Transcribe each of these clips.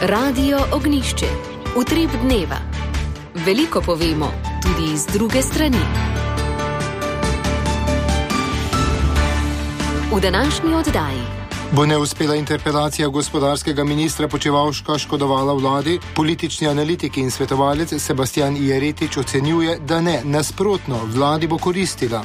Radio Ognjišče. Utrip dneva. Veliko povemo, tudi iz druge strani. V današnji oddaji. Bo neuspela interpelacija gospodarskega ministra Počivalška škodovala vladi? Politični analitik in svetovalec Sebastian Jeretič ocenjuje, da ne, nasprotno, vladi bo koristila.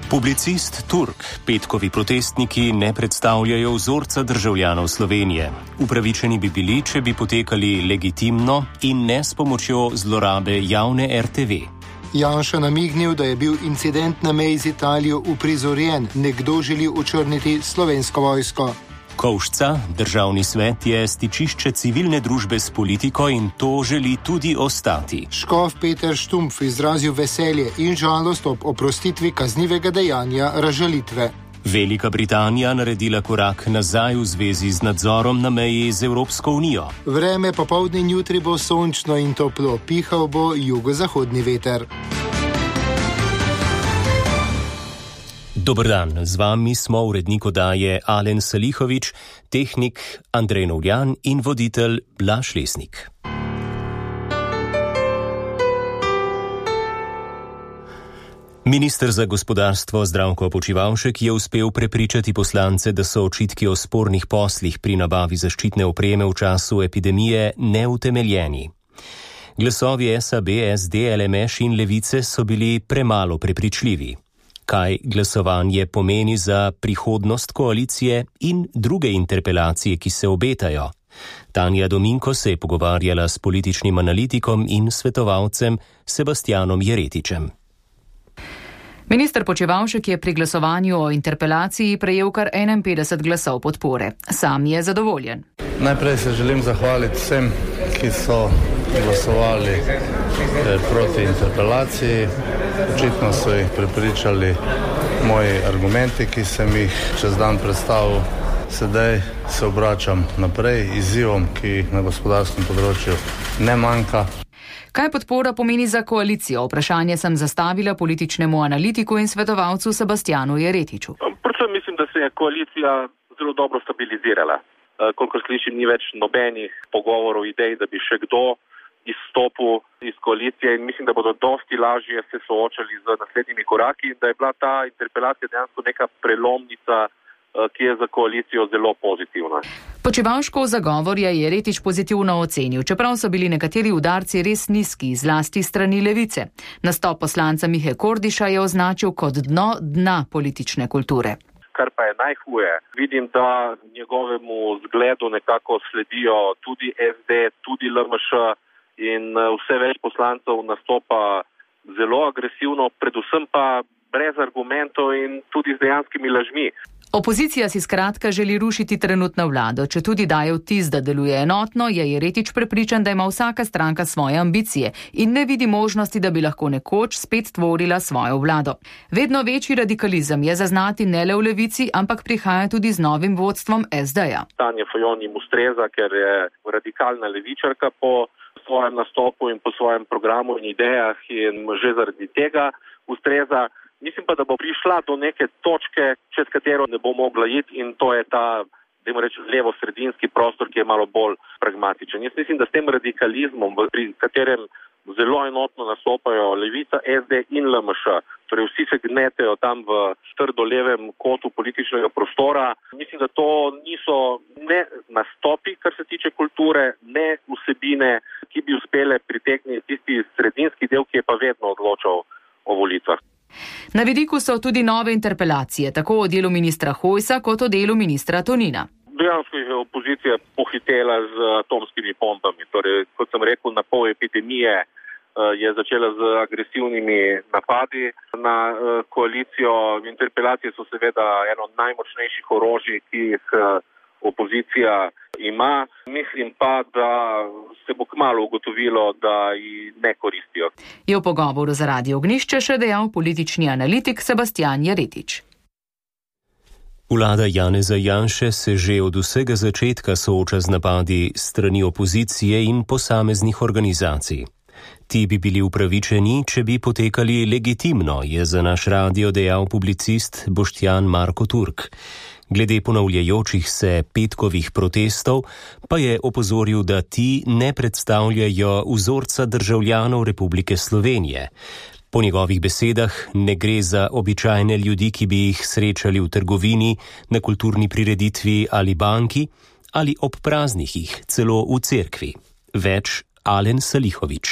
Publicist Turk, petkovi protestniki ne predstavljajo vzorca državljanov Slovenije. Upravičeni bi bili, če bi potekali legitimno in ne s pomočjo zlorabe javne RTV. Janša namignil, da je bil incident na meji z Italijo uprizorjen, nekdo želi očrniti Slovensko vojsko. Kovšca, državni svet je stičišče civilne družbe s politiko in to želi tudi ostati. Škof Peter Štumpf izrazil veselje in žalost ob oprostitvi kaznivega dejanja razžalitve. Velika Britanija naredila korak nazaj v zvezi z nadzorom na meji z Evropsko unijo. Vreme popoldne in jutri bo sončno in toplo, pihal bo jugozahodni veter. Dober dan, z vami smo urednik oddaje Alen Salihovič, tehnik Andrej Novljan in voditelj Blaž Lesnik. Minister za gospodarstvo Zdravko Počivalšek je uspel prepričati poslance, da so očitki o spornih poslih pri nabavi zaščitne opreme v času epidemije neutemeljeni. Glasovi SAB, SD, LMŠ in Levice so bili premalo prepričljivi. Kaj glasovanje pomeni za prihodnost koalicije in druge interpelacije, ki se obetajo? Tanja Dominko se je pogovarjala s političnim analitikom in svetovalcem Sebastianom Jeretičem. Minister Počivalšek je pri glasovanju o interpelaciji prejel kar 51 glasov podpore. Sam je zadovoljen. Najprej se želim zahvaliti vsem, ki so glasovali proti interpelaciji. Očitno so jih prepričali moji argumenti, ki sem jih čez dan predstavil. Sedaj se obračam naprej izzivom, ki na gospodarskem področju ne manjka. Kaj podpora pomeni za koalicijo? Vprašanje sem zastavila političnemu analitiku in svetovalcu Sebastianu Jeretiču. Predvsem mislim, da se je koalicija zelo dobro stabilizirala. Kolikor slišim, ni več nobenih pogovorov, idej, da bi še kdo izstopil iz koalicije in mislim, da bodo dosti lažje se soočali z naslednjimi koraki in da je bila ta interpelacija dejansko neka prelomnica, ki je za koalicijo zelo pozitivna. Počivalškov zagovor je Jeretič pozitivno ocenil, čeprav so bili nekateri udarci res nizki, zlasti strani Levice. Nastop poslanca Mihe Kordiša je označil kot dna politične kulture. Kar pa je najhuje, vidim, da njegovemu zgledu nekako sledijo tudi SD, tudi LMŠ in vse več poslancev nastopa zelo agresivno, predvsem pa brez argumentov in tudi z dejanskimi lažmi. Opozicija si skratka želi rušiti trenutno vlado. Če tudi daje vtis, da deluje enotno, je Jeretič prepričan, da ima vsaka stranka svoje ambicije in ne vidi možnosti, da bi lahko nekoč spet tvorila svojo vlado. Vedno večji radikalizem je zaznati ne le v Levici, ampak prihaja tudi z novim vodstvom SD-ja. Tanja Fajon jim ustreza, ker je radikalna levičarka po svojem nastopu in po svojem programu in idejah in že zaradi tega ustreza. Mislim pa, da bo prišla do neke točke, čez katero ne bo mogla iti in to je ta, dajmo reči, levo-sredinski prostor, ki je malo bolj pragmatičen. Jaz mislim, da s tem radikalizmom, pri katerem zelo enotno nastopajo Levica, SD in LMŠ, torej vsi se gnetejo tam v trdo levem kotu političnega prostora, mislim, da to niso ne nastopi, kar se tiče kulture, ne vsebine, ki bi uspele pritegniti tisti sredinski del, ki je pa vedno odločal o volitvah. Na vidiku so tudi nove interpelacije, tako o delu ministra Hojsa kot o delu ministra Tonina. Dejansko je opozicija pohitela z atomskimi bombami. Torej, kot sem rekel, na pol epidemije je začela z agresivnimi napadi na koalicijo. Interpelacije so seveda eno od najmočnejših orožij, ki jih opozicija ima. Mislim pa, da se bo kmalu ugotovilo, da ji ne koristijo. Je v pogovoru za Radio Ognjišče še dejal politični analitik Sebastian Jeretič. Vlada Janeza Janše se že od vsega začetka sooča z napadi strani opozicije in posameznih organizacij. Ti bi bili upravičeni, če bi potekali legitimno, je za naš radio dejal publicist Boštjan Marko Turk. Glede ponavljajočih se petkovih protestov pa je opozoril, da ti ne predstavljajo vzorca državljanov Republike Slovenije. Po njegovih besedah ne gre za običajne ljudi, ki bi jih srečali v trgovini, na kulturni prireditvi ali banki, ali ob praznikih, celo v cerkvi. Več Alen Salihović.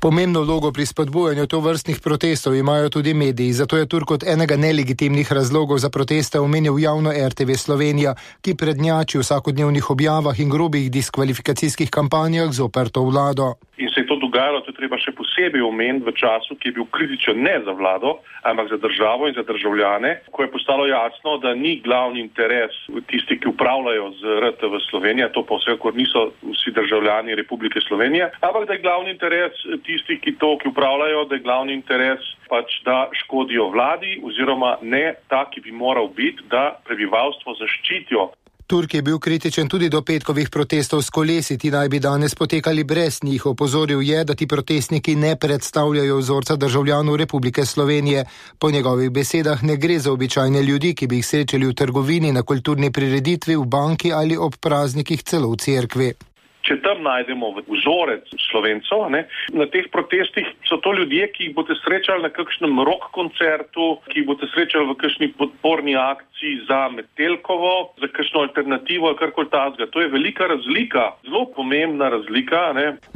Pomembno vlogo pri spodbujanju tovrstnih protestov imajo tudi mediji, zato je Turk kot enega nelegitimnih razlogov za proteste omenil javno RTV Slovenija, ki prednjači v vsakodnevnih objavah in grobih diskvalifikacijskih kampanjah zoper to vlado. In se je to dogajalo, to je treba še posebej omeniti v času, ki je bil kritičen ne za vlado, ampak za državo in za državljane, ko je postalo jasno, da ni glavni interes tisti, ki upravljajo z RTV Slovenija, to pa vsekakor niso vsi državljani Republike Slovenije, ampak da je glavni interes tisti, ki upravljajo, da je glavni interes da škodijo vladi oziroma ne ta, ki bi moral biti, da prebivalstvo zaščitijo. Turk je bil kritičen tudi do petkovih protestov s kolesi, ti naj bi danes potekali brez njih. Opozoril je, da ti protestniki ne predstavljajo vzorca državljanov Republike Slovenije. Po njegovih besedah ne gre za običajne ljudi, ki bi jih srečali v trgovini, na kulturni prireditvi, v banki ali ob praznikih celo v cerkvi. Če tam najdemo vzorec Slovencev, na teh protestih so to ljudje, ki jih boste srečali na kakšnem rock koncertu, ki jih boste srečali v kakšni podporni akciji za Metelkovo, za kakšno alternativo ali karkoli takega. To je velika razlika, zelo pomembna razlika.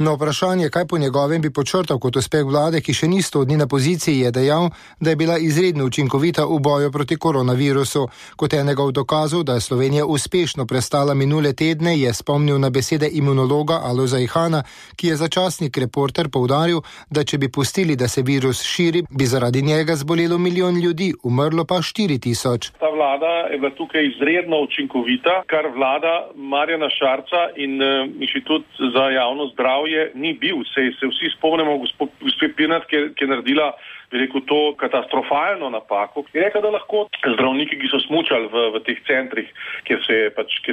Na vprašanje, kaj po njegovem bi počrtal kot uspeh vlade, ki še ni 100 dni na poziciji, je dejal, da je bila izredno učinkovita v boju proti koronavirusu. Kot enega od dokazov, da je Slovenija uspešno prestala minule tedne, je spomnil na besede imunologa Alojza Ihana, ki je za časnik Reporter poudaril, da če bi pustili, da se virus širi, bi zaradi njega zbolelo 1 milijon ljudi, umrlo pa 4.000. Ta vlada je bila tukaj izredno učinkovita, kar vlada Marjana Šarca in Inštitut za javno zdravje ni bil. Se vsi spomnimo gospe Pirnat, ki je naredila, bi rekel, to katastrofalno napako. Je rekla, da lahko zdravniki, ki so smučali v teh centrih, kjer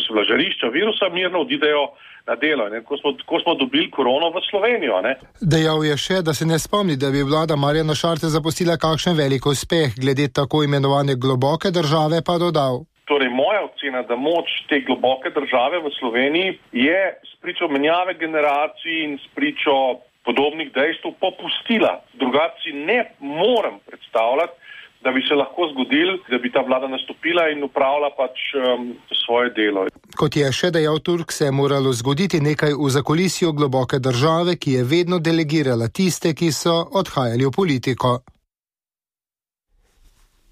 so bila žarišča virusa, mirno odidejo na delo. Ko smo dobili korono v Slovenijo. Dejal je še, da se ne spomni, da bi vlada Marjana Šarca zapustila kakšen velik uspeh, glede tako imenovane globoke države pa dodal. Torej, moja ocena, da moč te globoke države v Sloveniji je spričo menjave generacij in spričo podobnih dejstev popustila. Drugače ne morem predstavljati, da bi se lahko zgodil, da bi ta vlada nastopila in upravila svoje delo. Kot je še dejal Turk, se je moralo zgoditi nekaj v zakulisju globoke države, ki je vedno delegirala tiste, ki so odhajali v politiko.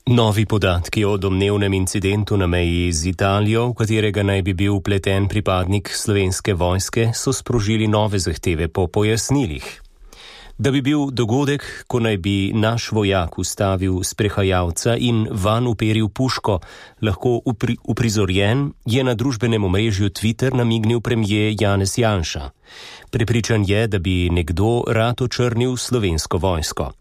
Novi podatki o domnevnem incidentu na meji z Italijo, v katerega naj bi bil vpleten pripadnik Slovenske vojske, so sprožili nove zahteve po pojasnilih. Da bi bil dogodek, ko naj bi naš vojak ustavil sprehajalca in vanj uperil puško, lahko uprizorjen, je na družbenem omrežju Twitter namignil premier Janez Janša. Prepričan je, da bi nekdo rad očrnil Slovensko vojsko.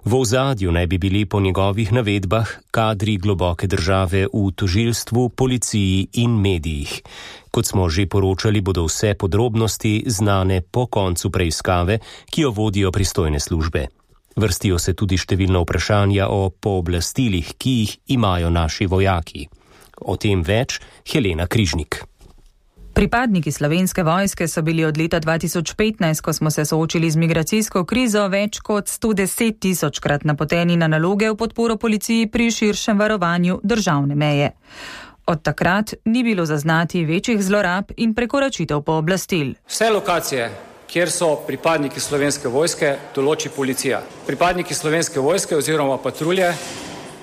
V ozadju naj bi bili po njegovih navedbah kadri globoke države v tožilstvu, policiji in medijih. Kot smo že poročali, bodo vse podrobnosti znane po koncu preiskave, ki jo vodijo pristojne službe. Vrstijo se tudi številna vprašanja o pooblastilih, ki jih imajo naši vojaki. O tem več Helena Križnik. Pripadniki Slovenske vojske so bili od leta 2015, ko smo se soočili z migracijsko krizo, več kot 110.000-krat napoteni na naloge v podporo policiji pri širšem varovanju državne meje. Od takrat ni bilo zaznati večjih zlorab in prekoračitev pooblastil. Vse lokacije, kjer so pripadniki Slovenske vojske, določi policija. Pripadniki Slovenske vojske oziroma patrulje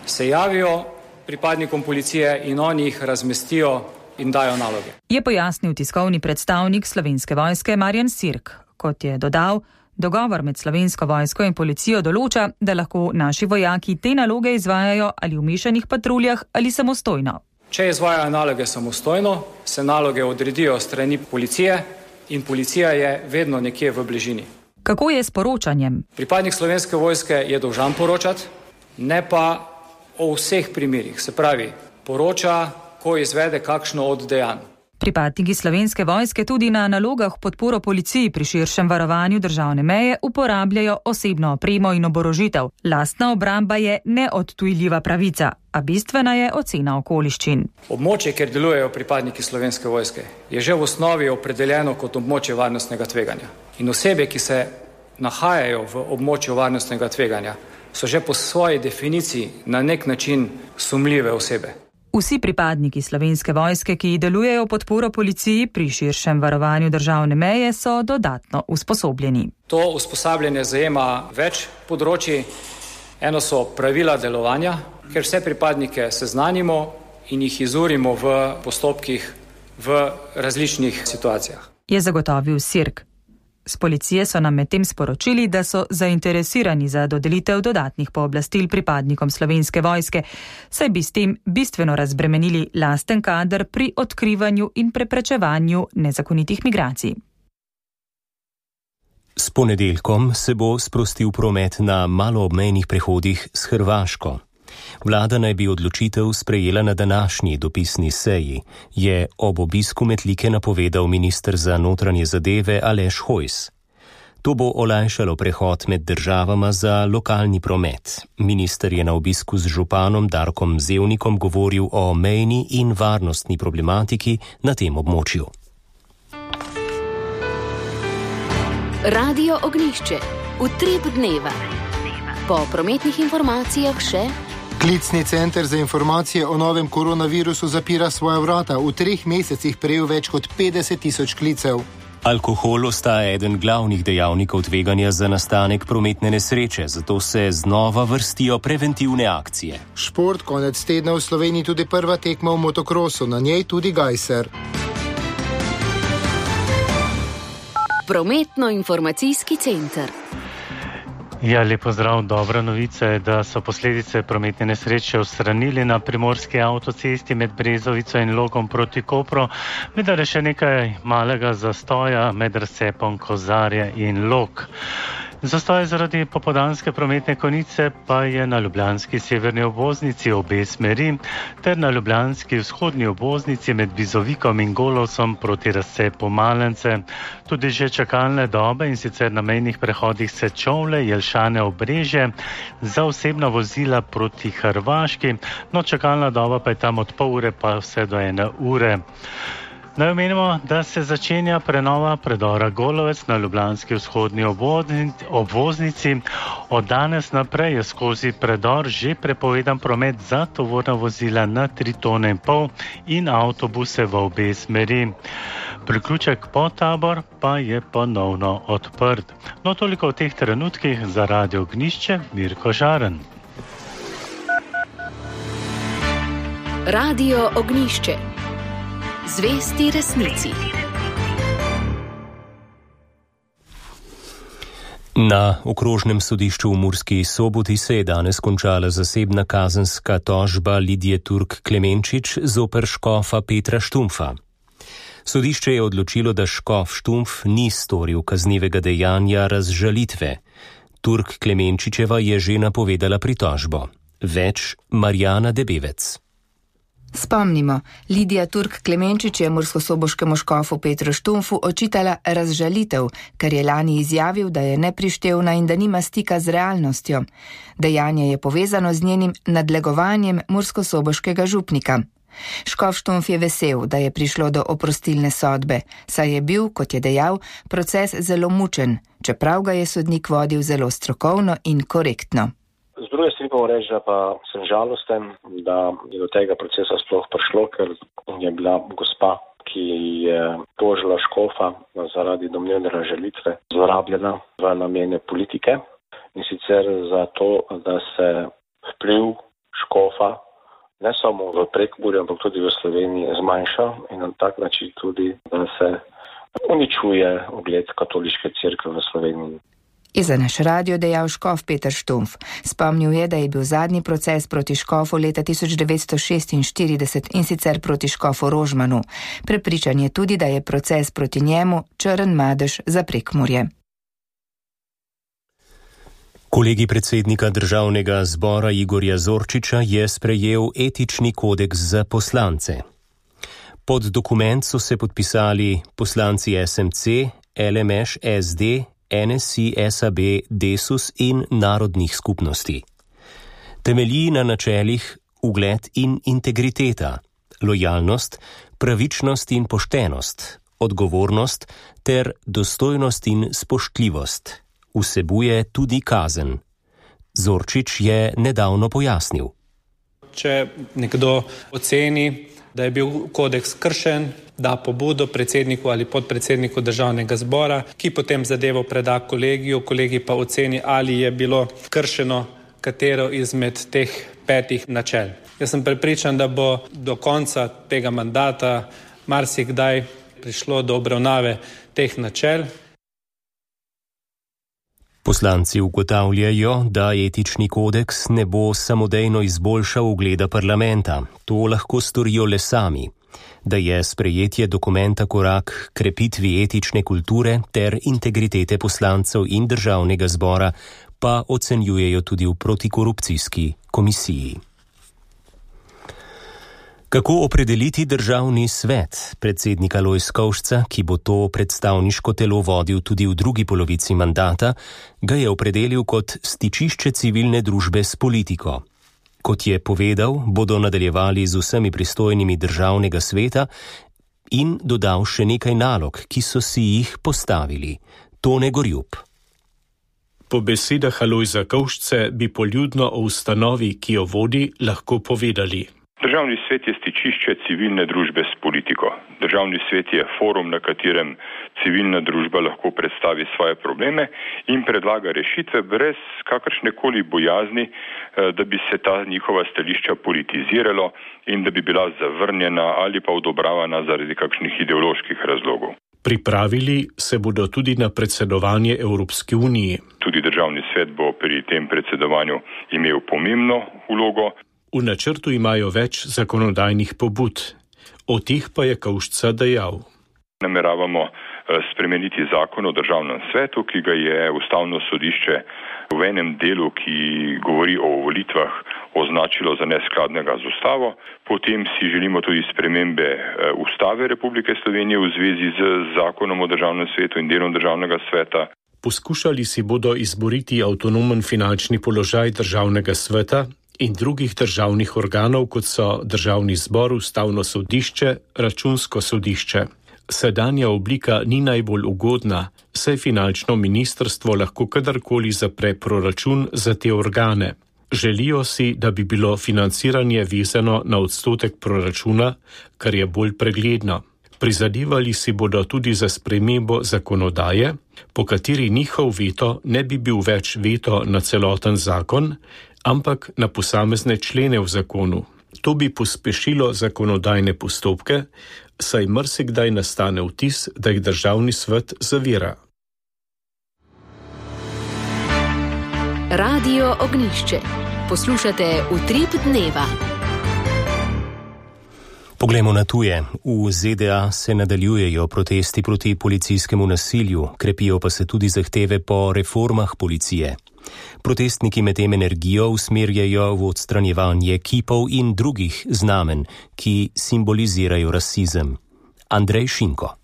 se javijo pripadnikom policije in oni jih razmestijo in dajo naloge. Je pojasnil tiskovni predstavnik Slovenske vojske Marjan Sirk. Kot je dodal, dogovor med Slovensko vojsko in policijo določa, da lahko naši vojaki te naloge izvajajo ali v mešanih patruljah ali samostojno. Če izvajajo naloge samostojno, se naloge odredijo strani policije in policija je vedno nekje v bližini. Kako je s poročanjem? Pripadnik Slovenske vojske je dolžan poročati, ne pa o vseh primerih. Se pravi, poroča, ko izvede kakšno od dejanj. Pripadniki Slovenske vojske tudi na nalogah podporo policiji pri širšem varovanju državne meje uporabljajo osebno opremo in oborožitev. Lastna obramba je neodtujljiva pravica, a bistvena je ocena okoliščin. Območje, kjer delujejo pripadniki Slovenske vojske, je že v osnovi opredeljeno kot območje varnostnega tveganja. In osebe, ki se nahajajo v območju varnostnega tveganja, so že po svoji definiciji na nek način sumljive osebe. Vsi pripadniki Slovenske vojske, ki delujejo v podporo policiji pri širšem varovanju državne meje, so dodatno usposobljeni. To usposabljanje zajema več področji. Eno so pravila delovanja, ker vse pripadnike seznanimo in jih izurimo v postopkih v različnih situacijah. Je zagotovil Sirk. Z policije so nam medtem sporočili, da so zainteresirani za dodelitev dodatnih pooblastil pripadnikom Slovenske vojske, saj bi s tem bistveno razbremenili lasten kader pri odkrivanju in preprečevanju nezakonitih migracij. S ponedeljkom se bo sprostil promet na maloobmejnih prehodih s Hrvaško. Vlada naj bi odločitev sprejela na današnji dopisni seji, je ob obisku Metlike napovedal minister za notranje zadeve Aleš Hojs. To bo olajšalo prehod med državama za lokalni promet. Minister je na obisku z županom Darkom Zevnikom govoril o mejni in varnostni problematiki na tem območju. Radio Ognjišče. Utrip dneva. Po prometnih informacijah še... Klicni center za informacije o novem koronavirusu zapira svoja vrata. V 3 mesecih prejel več kot 50.000 klicev. Alkohol ostaja eden glavnih dejavnikov tveganja za nastanek prometne nesreče, zato se znova vrstijo preventivne akcije. Šport, konec tedna v Sloveniji tudi prva tekma v motokrosu, na njej tudi Gajser. Prometno-informacijski center. Ja, lepo zdrav. Dobra novica je, da so posledice prometne nesreče odstranili na primorski avtocesti med Brezovico in Logom proti Kopru, vendar je še nekaj malega zastoja med razcepom Kozarja in Log. Zastoj zaradi popoldanske prometne konice pa je na ljubljanski severni obvoznici obe smeri ter na ljubljanski vzhodni obvoznici med Bizovikom in Golovcem proti razcepu Malence. Tudi že čakalne dobe in sicer na mejnih prehodih Sečovlje, Jelšane, Obrežje za osebna vozila proti Hrvaški, no čakalna doba pa je tam od pol ure pa vse do 1 ure. Naj omenimo, da se začenja prenova predora Golovec na ljubljanski vzhodni obvoznici. Od danes naprej je skozi predor že prepovedan promet za tovorna vozila na 3,5 tone in avtobuse v obe smeri. Priključek Podtabor pa je ponovno odprt. No, toliko v teh trenutkih. Za Radio Ognjišče, Mirko Žaren. Radio Ognjišče. Zvesti resnici. Na okrožnem sodišču v Murski Soboti se je danes končala zasebna kazenska tožba Lidije Turk Klemenčič zoper škofa Petra Štumpfa. Sodišče je odločilo, da škof Štumpf ni storil kaznivega dejanja razžalitve. Turk Klemenčičeva je že napovedala pritožbo. Več Marjana Debevec. Spomnimo, Lidija Turk Klemenčič je murskosoboškemu škofu Petru Štumpfu očitala razžalitev, ker je lani izjavil, da je neprištevna in da nima stika z realnostjo. Dejanje je povezano z njenim nadlegovanjem murskosoboškega župnika. Škof Štumpf je vesel, da je prišlo do oprostilne sodbe, saj je bil, kot je dejal, proces zelo mučen, čeprav ga je sodnik vodil zelo strokovno in korektno. Z druge strani pa reči, da pa sem žalosten, da je do tega procesa sploh prišlo, ker je bila gospa, ki je tožila škofa zaradi domnevne razžalitve, zlorabljena v namene politike in sicer zato, da se vpliv škofa ne samo v Prekmurju, ampak tudi v Sloveniji zmanjša in na tak način tudi, da se uničuje ugled katoliške cerkve v Sloveniji. Je za naš radio dejal škof Peter Štumpf. Spomnil je, da je bil zadnji proces proti škofu leta 1946 in sicer proti škofu Rožmanu. Prepričan je tudi, da je proces proti njemu črn madež za Prekmurje. Kolegi predsednika Državnega zbora Igorja Zorčiča je sprejel etični kodeks za poslance. Pod dokument so se podpisali poslanci SMC, LMŠ, SD, NSI, SAB, Desus in narodnih skupnosti. Temelji na načelih ugled in integriteta, lojalnost, pravičnost in poštenost, odgovornost ter dostojnost in spoštljivost. Vsebuje tudi kazen. Zorčič je nedavno pojasnil. Če nekdo oceni, da je bil kodeks kršen, da pobudo predsedniku ali podpredsedniku državnega zbora, ki potem zadevo preda kolegiju, kolegi pa oceni, ali je bilo kršeno katero izmed teh 5 načel. Jaz sem prepričan, da bo do konca tega mandata marsikdaj prišlo do obravnave teh načel. Poslanci ugotavljajo, da etični kodeks ne bo samodejno izboljšal ugleda parlamenta. To lahko storijo le sami. Da je sprejetje dokumenta korak krepitvi etične kulture ter integritete poslancev in državnega zbora, pa ocenjujejo tudi v protikorupcijski komisiji. Kako opredeliti državni svet? Predsednika Lojz Kovšca, ki bo to predstavniško telo vodil tudi v drugi polovici mandata, ga je opredelil kot stičišče civilne družbe s politiko. Kot je povedal, bodo nadaljevali z vsemi pristojnimi državnega sveta in dodal še nekaj nalog, ki so si jih postavili. Tone Gorjup. Po besedah Lojza Kovšce bi poljudno o ustanovi, ki jo vodi, lahko povedali. Državni svet je stičišče civilne družbe s politiko. Državni svet je forum, na katerem civilna družba lahko predstavi svoje probleme in predlaga rešitve brez kakršnekoli bojazni, da bi se ta njihova stališča politiziralo in da bi bila zavrnjena ali pa odobravana zaradi kakšnih ideoloških razlogov. Pripravili se bodo tudi na predsedovanje Evropski uniji. Tudi državni svet bo pri tem predsedovanju imel pomembno vlogo. V načrtu imajo več zakonodajnih pobud. O teh pa je Kovšca dejal. Nameravamo spremeniti zakon o državnem svetu, ki ga je Ustavno sodišče v enem delu, ki govori o volitvah, označilo za neskladnega z Ustavo. Potem si želimo tudi spremembe Ustave Republike Slovenije v zvezi z zakonom o državnem svetu in delom državnega sveta. Poskušali si bodo izboriti avtonomen finančni položaj državnega sveta in drugih državnih organov, kot so Državni zbor, Ustavno sodišče, Računsko sodišče. Sedanja oblika ni najbolj ugodna, saj finančno ministrstvo lahko kadarkoli zapre proračun za te organe. Želijo si, da bi bilo financiranje vezano na odstotek proračuna, kar je bolj pregledno. Prizadevali si bodo tudi za spremembo zakonodaje, po kateri njihov veto ne bi bil več veto na celoten zakon, ampak na posamezne člene v zakonu. To bi pospešilo zakonodajne postopke, saj marsikdaj nastane vtis, da jih državni svet zavira. Radio Ognjišče. Poslušate Utrip dneva. Poglejmo na tuje. V ZDA se nadaljujejo protesti proti policijskemu nasilju, krepijo pa se tudi zahteve po reformah policije. Protestniki medtem energijo usmerjajo v odstranjevanje kipov in drugih znamen, ki simbolizirajo rasizem. Andrej Šinko.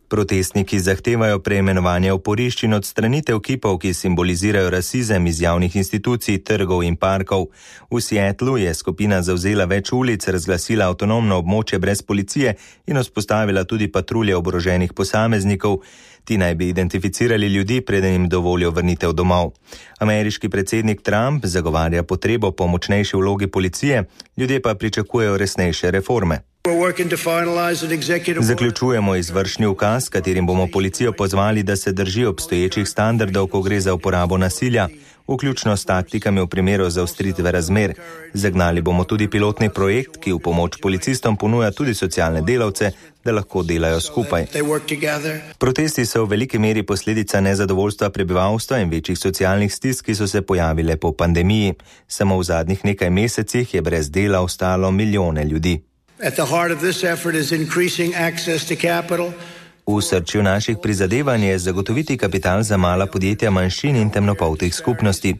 Protestniki zahtevajo preimenovanje oporišč in odstranitev kipov, ki simbolizirajo rasizem iz javnih institucij, trgov in parkov. V Seattlu je skupina zavzela več ulic, razglasila avtonomno območje brez policije in vzpostavila tudi patrulje oboroženih posameznikov. Ti naj bi identificirali ljudi, preden jim dovolijo vrnitev domov. Ameriški predsednik Trump zagovarja potrebo po močnejši vlogi policije, ljudje pa pričakujejo resnejše reforme. Zaključujemo izvršni ukaz, katerim bomo policijo pozvali, da se drži obstoječih standardov, ko gre za uporabo nasilja, vključno s taktikami v primeru zaostritve razmer. Zagnali bomo tudi pilotni projekt, ki v pomoč policistom ponuja tudi socialne delavce, da lahko delajo skupaj. Protesti so v veliki meri posledica nezadovoljstva prebivalstva in večjih socialnih stisk, ki so se pojavile po pandemiji. Samo v zadnjih nekaj mesecih je brez dela ostalo milijone ljudi. At the heart of this effort is increasing access to capital, V srčju naših prizadevanj je zagotoviti kapital za mala podjetja manjšin in temnopoltih skupnosti.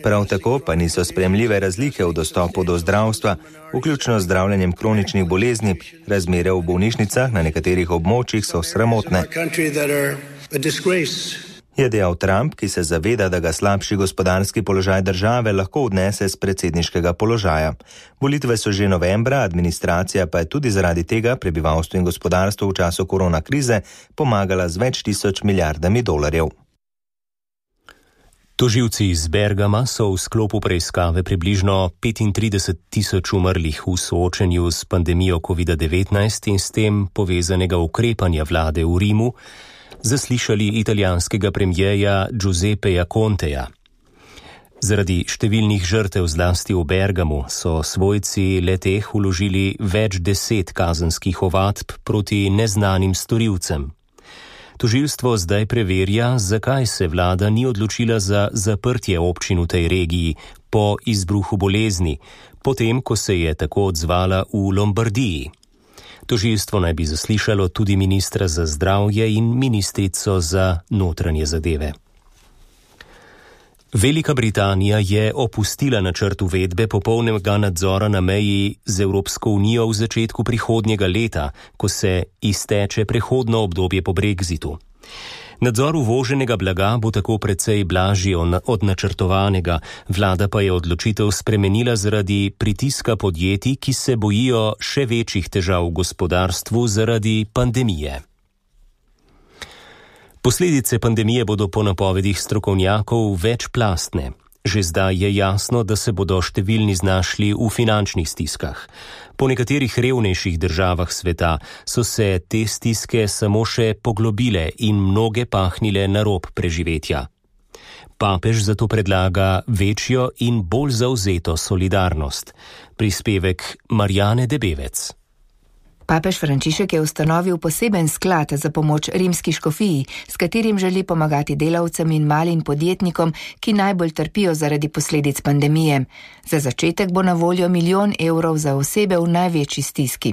Prav tako pa niso sprejemljive razlike v dostopu do zdravstva, vključno z zdravljenjem kroničnih bolezni. Razmere v bolnišnicah na nekaterih območjih so sramotne. Je dejal Trump, ki se zaveda, da ga slabši gospodarski položaj države lahko odnese z predsedniškega položaja. Volitve so že novembra, administracija pa je tudi zaradi tega prebivalstvu in gospodarstvu v času korona krize pomagala z več tisoč milijardami dolarjev. Tožilci iz Bergama so v sklopu preiskave približno 35.000 umrlih v soočenju s pandemijo COVID-19 in s tem povezanega ukrepanja vlade v Rimu zaslišali italijanskega premierja Giuseppeja Conteja. Zaradi številnih žrtev zlasti v Bergamu so svojci le-teh vložili več 10 kazenskih ovadb proti neznanim storilcem. Tožilstvo zdaj preverja, zakaj se vlada ni odločila za zaprtje občin v tej regiji po izbruhu bolezni, potem ko se je tako odzvala v Lombardiji. Tožilstvo naj bi zaslišalo tudi ministra za zdravje in ministrico za notranje zadeve. Velika Britanija je opustila načrt uvedbe popolnega nadzora na meji z Evropsko unijo v začetku prihodnjega leta, ko se izteče prehodno obdobje po Brexitu. Nadzor uvoženega blaga bo tako precej blažji od načrtovanega, vlada pa je odločitev spremenila zaradi pritiska podjetij, ki se bojijo še večjih težav v gospodarstvu zaradi pandemije. Posledice pandemije bodo po napovedih strokovnjakov večplastne. Že zdaj je jasno, da se bodo številni znašli v finančnih stiskah. Po nekaterih revnejših državah sveta so se te stiske samo še poglobile in mnoge pahnile na rob preživetja. Papež zato predlaga večjo in bolj zavzeto solidarnost. Prispevek Marjane Debevec. Papež Frančišek je ustanovil poseben sklad za pomoč rimski škofiji, s katerim želi pomagati delavcem in malim podjetnikom, ki najbolj trpijo zaradi posledic pandemije. Za začetek bo na voljo 1 milijon evrov za osebe v največji stiski.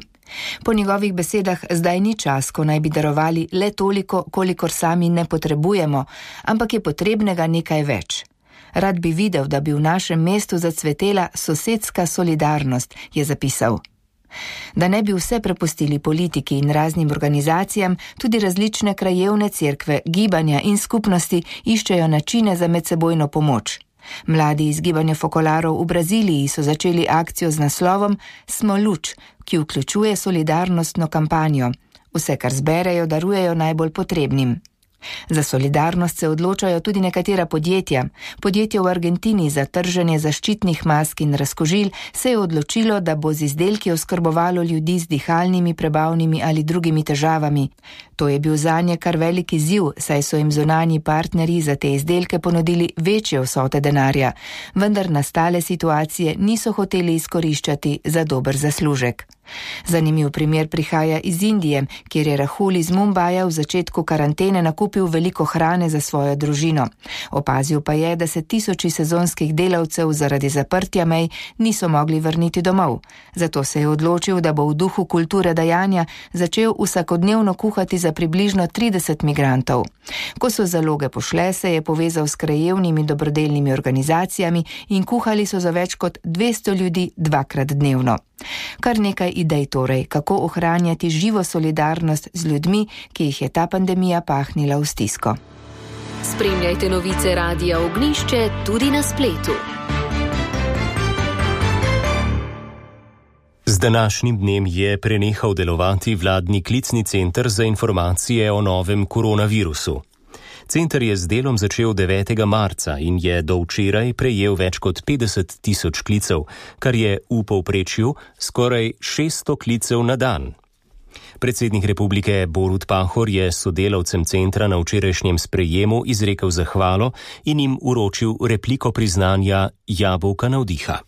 Po njegovih besedah zdaj ni čas, ko naj bi darovali le toliko, kolikor sami ne potrebujemo, ampak je potrebnega nekaj več. Rad bi videl, da bi v našem mestu zacvetela sosedska solidarnost, je zapisal. Da ne bi vse prepustili politiki in raznim organizacijam, tudi različne krajevne cerkve, gibanja in skupnosti iščejo načine za medsebojno pomoč. Mladi iz gibanja Fokolarov v Braziliji so začeli akcijo z naslovom Smo luč, ki vključuje solidarnostno kampanjo. Vse, kar zberejo, darujejo najbolj potrebnim. Za solidarnost se odločajo tudi nekatera podjetja. Podjetje v Argentini za trženje zaščitnih mask in razkožil se je odločilo, da bo z izdelki oskrbovalo ljudi z dihalnimi, prebavnimi ali drugimi težavami. To je bil zanje kar velik izziv, saj so jim zunanji partnerji za te izdelke ponudili večje vsote denarja, vendar nastale situacije niso hoteli izkoriščati za dober zaslužek. Zanimiv primer prihaja iz Indije, kjer je Rahul iz Mumbaja v začetku karantene nakupil veliko hrane za svojo družino. Opazil pa je, da se tisoči sezonskih delavcev zaradi zaprtja mej niso mogli vrniti domov. Zato se je odločil, da bo v duhu kulture dajanja začel vsakodnevno kuhati za približno 30 migrantov. Ko so zaloge pošle, se je povezal s krajevnimi dobrodelnimi organizacijami in kuhali so za več kot 200 ljudi 2-krat dnevno. Kar nekaj idej torej, kako ohranjati živo solidarnost z ljudmi, ki jih je ta pandemija pahnila v stisko. Spremljajte novice Radia Ognjišče tudi na spletu. Z današnjim dnem je prenehal delovati vladni klicni center za informacije o novem koronavirusu. Center je z delom začel 9. marca in je do včeraj prejel več kot 50.000 klicev, kar je v povprečju skoraj 600 klicev na dan. Predsednik republike Borut Pahor je sodelavcem centra na včerajšnjem sprejemu izrekel zahvalo in jim uročil repliko priznanja Jabolka navdiha.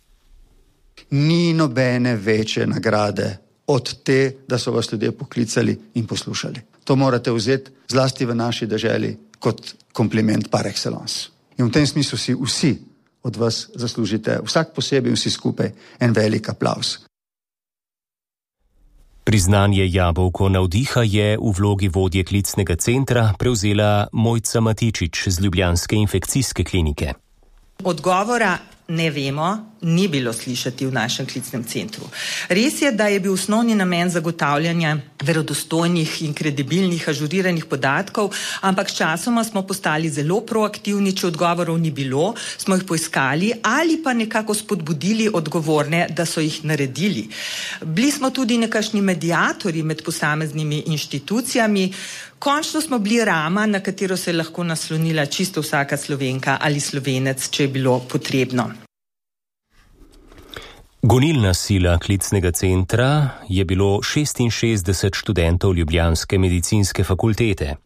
Ni nobene večje nagrade od te, da so vas ljudje poklicali in poslušali. To morate vzeti zlasti v naši deželi kot kompliment par excellence. In v tem smislu si vsi od vas zaslužite, vsak posebej in vsi skupaj, en velik aplavz. Priznanje jabolko navdiha je v vlogi vodje klicnega centra prevzela Mojca Matičič z ljubljanske infekcijske klinike. Odgovora ne vemo, ni bilo slišati v našem klicnem centru. Res je, da je bil osnovni namen zagotavljanja verodostojnih in kredibilnih ažuriranih podatkov, ampak s časoma smo postali zelo proaktivni, če odgovorov ni bilo, smo jih poiskali ali pa nekako spodbudili odgovorne, da so jih naredili. Bili smo tudi nekakšni mediatorji med posameznimi inštitucijami. Končno smo bili rama, na katero se je lahko naslonila čisto vsaka Slovenka ali Slovenec, če je bilo potrebno. Gonilna sila klicnega centra je bilo 66 študentov ljubljanske medicinske fakultete.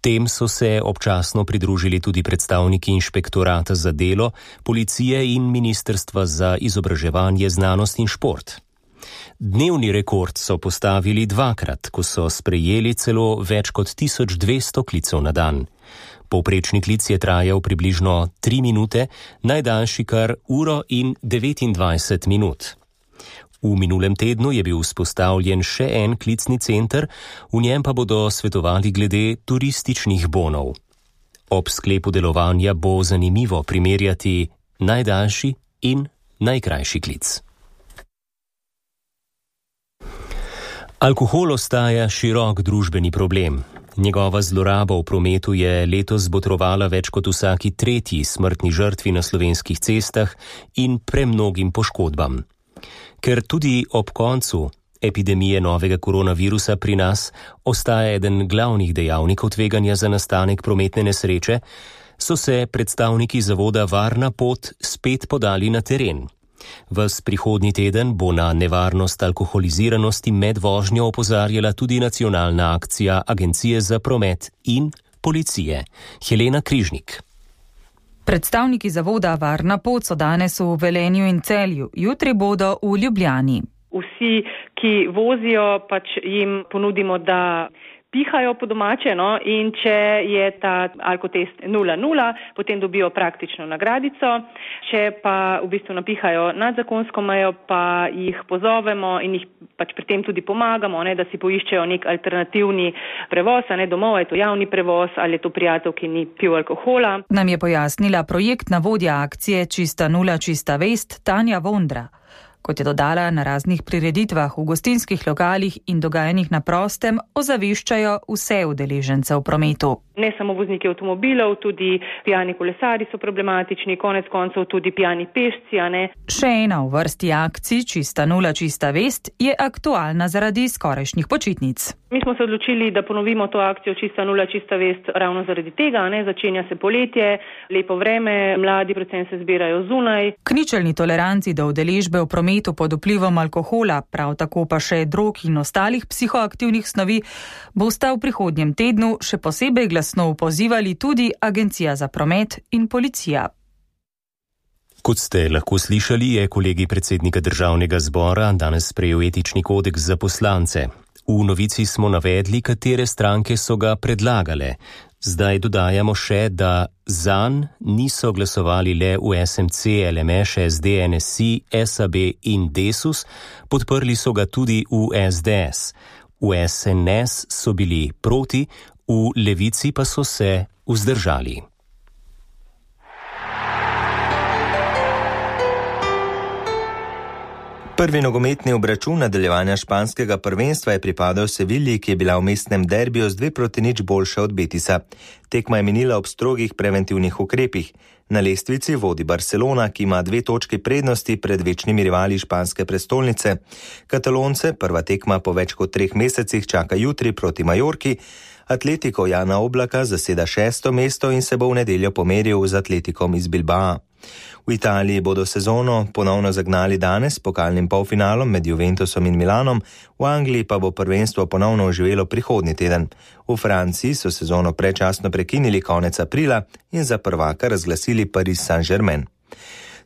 Tem so se občasno pridružili tudi predstavniki Inšpektorata za delo, policije in Ministrstva za izobraževanje, znanost in šport. Dnevni rekord so postavili dvakrat, ko so sprejeli celo več kot 1200 klicev na dan. Povprečni klic je trajal približno 3 minute, najdaljši kar 1:29 minut. V minulem tednu je bil vzpostavljen še en klicni center, v njem pa bodo svetovali glede turističnih bonov. Ob sklepu delovanja bo zanimivo primerjati najdaljši in najkrajši klic. Alkohol ostaja širok družbeni problem. Njegova zloraba v prometu je letos botrovala več kot vsaki tretji smrtni žrtvi na slovenskih cestah in premnogim poškodbam. Ker tudi ob koncu epidemije novega koronavirusa pri nas ostaja eden glavnih dejavnikov tveganja za nastanek prometne nesreče, so se predstavniki zavoda Varna pot spet podali na teren. Ves prihodnji teden bo na nevarnost alkoholiziranosti med vožnjo opozarjala tudi nacionalna akcija Agencije za promet in policije. Helena Križnik. Predstavniki zavoda Varna pot so danes v Velenju in Celju, jutri bodo v Ljubljani. Vsi, ki vozijo, jim ponudimo, da pihajo po domače, in če je ta alkotest 0,0, potem dobijo praktično nagradico. Če pa v bistvu napihajo nad zakonsko mejo, pa jih pozovemo in jih pri tem tudi pomagamo, da si poiščejo nek alternativni prevoz, domov, je to javni prevoz ali je to prijatelj, ki ni pil alkohola. Nam je pojasnila projektna vodja akcije Čista nula, čista vest Tanja Vondra. Kot je dodala, na raznih prireditvah v gostinskih lokalih in dogajanjih na prostem ozaveščajo vse udeležence v prometu. Ne samo vozniki avtomobilov, tudi pijani kolesari so problematični, konec koncev tudi pijani pešci, Še ena v vrsti akcij Čista nula, čista vest je aktualna zaradi skorajšnjih počitnic. Mi smo se odločili, da ponovimo to akcijo Čista nula, čista vest ravno zaradi tega, začenja se poletje, lepo vreme, mladi predvsem se zbirajo zunaj. K ničelni toleranci do udeležbe v prometu pod vplivom alkohola, prav tako pa še drog in ostalih psihoaktivnih snovi, bosta v prihodnjem tednu še posebej glasno pozivali tudi Agencija za promet in policija. Kot ste lahko slišali, je kolegij predsednika Državnega zbora danes sprejel etični kodeks za poslance. V novici smo navedli, katere stranke so ga predlagale. Zdaj dodajamo še, da zanj niso glasovali le v SMC, LMŠ, SD, NSI, SAB in Desus, podprli so ga tudi v SDS. V SNS so bili proti, v Levici pa so se vzdržali. Prvi nogometni obračun nadaljevanja španskega prvenstva je pripadal Sevilji, ki je bila v mestnem derbiju z 2-0 boljša od Betisa. Tekma je minila ob strogih preventivnih ukrepih. Na lestvici vodi Barcelona, ki ima 2 točki prednosti pred večnimi rivali španske prestolnice. Katalonce prva tekma po več kot 3 mesecih čaka jutri proti Majorki. Atletico Jana Oblaka zaseda 6. mesto in se bo v nedeljo pomeril z Atletikom iz Bilbaa. V Italiji bodo sezono ponovno zagnali danes s pokalnim polfinalom med Juventusom in Milanom, v Angliji pa bo prvenstvo ponovno oživelo prihodnji teden. V Franciji so sezono predčasno prekinili konec aprila in za prvaka razglasili Paris Saint-Germain.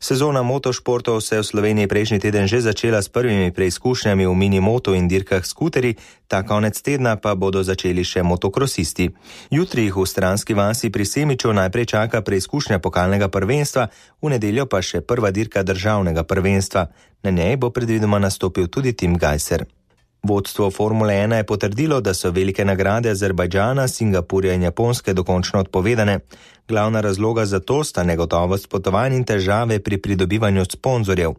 Sezona motošportov se je v Sloveniji prejšnji teden že začela s prvimi preizkušnjami v minimoto in dirkah skuteri, ta konec tedna pa bodo začeli še motokrosisti. Jutri jih v Stranski vasi pri Semiču najprej čaka preizkušnja pokalnega prvenstva, v nedeljo pa še prva dirka državnega prvenstva. Na njej bo predvidoma nastopil tudi Tim Gajser. Vodstvo Formule 1 je potrdilo, da so velike nagrade Azerbajdžana, Singapurja in Japonske dokončno odpovedane. Glavna razloga za to sta negotovost potovanj in težave pri pridobivanju sponzorjev.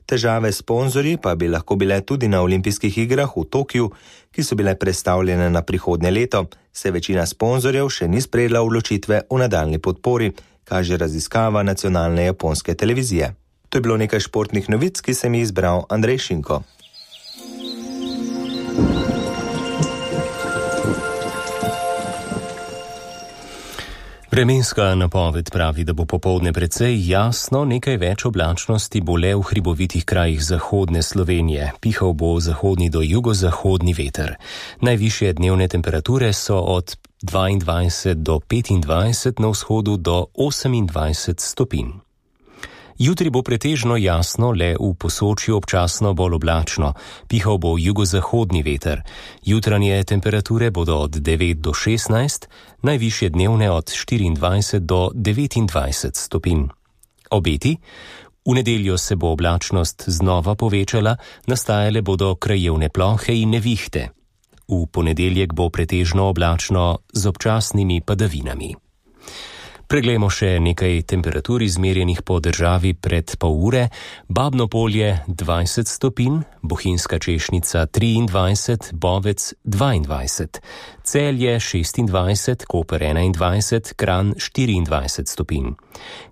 Težave s sponzorji pa bi lahko bile tudi na olimpijskih igrah v Tokiu, ki so bile prestavljene na prihodnje leto, se večina sponzorjev še ni sprejela odločitve o nadaljnji podpori, kaže raziskava nacionalne japonske televizije. To je bilo nekaj športnih novic, ki sem jih izbral Andrej Šinko. Vremenska napoved pravi, da bo popoldne precej jasno, nekaj več oblačnosti bo le v hribovitih krajih zahodne Slovenije. Pihal bo zahodni do jugozahodni veter. Najvišje dnevne temperature so od 22 do 25, na vzhodu do 28 stopinj. Jutri bo pretežno jasno, le v Posočju občasno bolj oblačno. Pihal bo jugozahodni veter. Jutranje temperature bodo od 9 do 16, najvišje dnevne od 24 do 29 stopinj. Obeti? V nedeljo se bo oblačnost znova povečala, nastajale bodo krajevne plohe in nevihte. V ponedeljek bo pretežno oblačno z občasnimi padavinami. Preglejmo še nekaj temperatur izmerjenih po državi pred pol ure. Babno Polje 20 stopinj, Bohinjska Češnica 23, Bovec 22, Celje 26, Koper 21, Kranj 24 stopinj.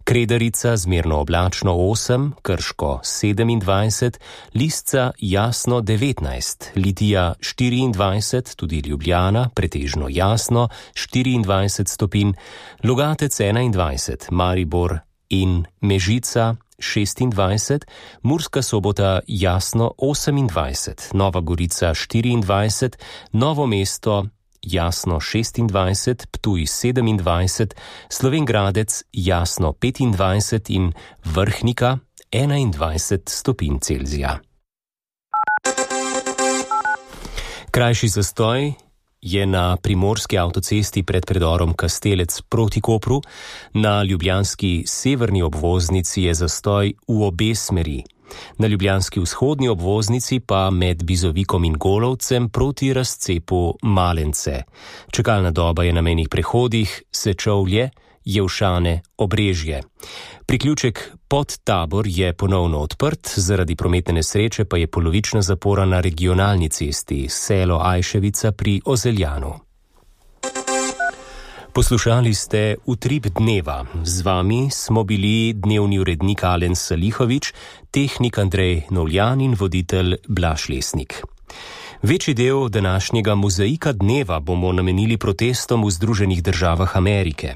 Kredarica zmerno oblačno 8, Krško 27, Lisca jasno 19, Litija 24, tudi Ljubljana pretežno jasno 24 stopinj, Logatec 21, Maribor in Mežica 26, Murska Sobota jasno 28, Nova Gorica 24, Novo mesto jasno 26, Ptuj 27, Slovenj Gradec jasno 25 in Vrhnika 21 stopinj Celzija. Krajši zastoj je na primorski avtocesti pred predorom Kastelec proti Kopru, na ljubljanski severni obvoznici je zastoj v obe smeri. Na ljubljanski vzhodni obvoznici pa med Bizovikom in Golovcem proti razcepu Malence. Čakalna doba je na mejnih prehodih Sečovlje, Jevšane, Obrežje. Priključek pod Tabor je ponovno odprt, zaradi prometne nesreče pa je polovična zapora na regionalni cesti Selo Ajševica pri Ozeljanu. Poslušali ste Utrip dneva. Z vami smo bili dnevni urednik Alen Salihovič, tehnik Andrej Novljan in voditelj Blaž Lesnik. Večji del današnjega mozaika dneva bomo namenili protestom v Združenih državah Amerike.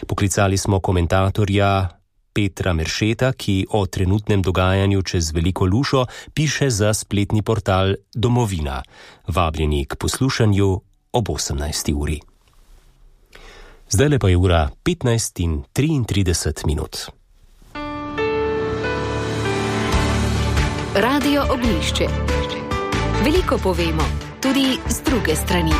Poklicali smo komentatorja Petra Meršeta, ki o trenutnem dogajanju čez Veliko Lušo piše za spletni portal Domovina. Vabljeni k poslušanju ob 18. uri. Zdajle pa je ura 15:33. Radio Ognjišče. Veliko povemo, tudi z druge strani.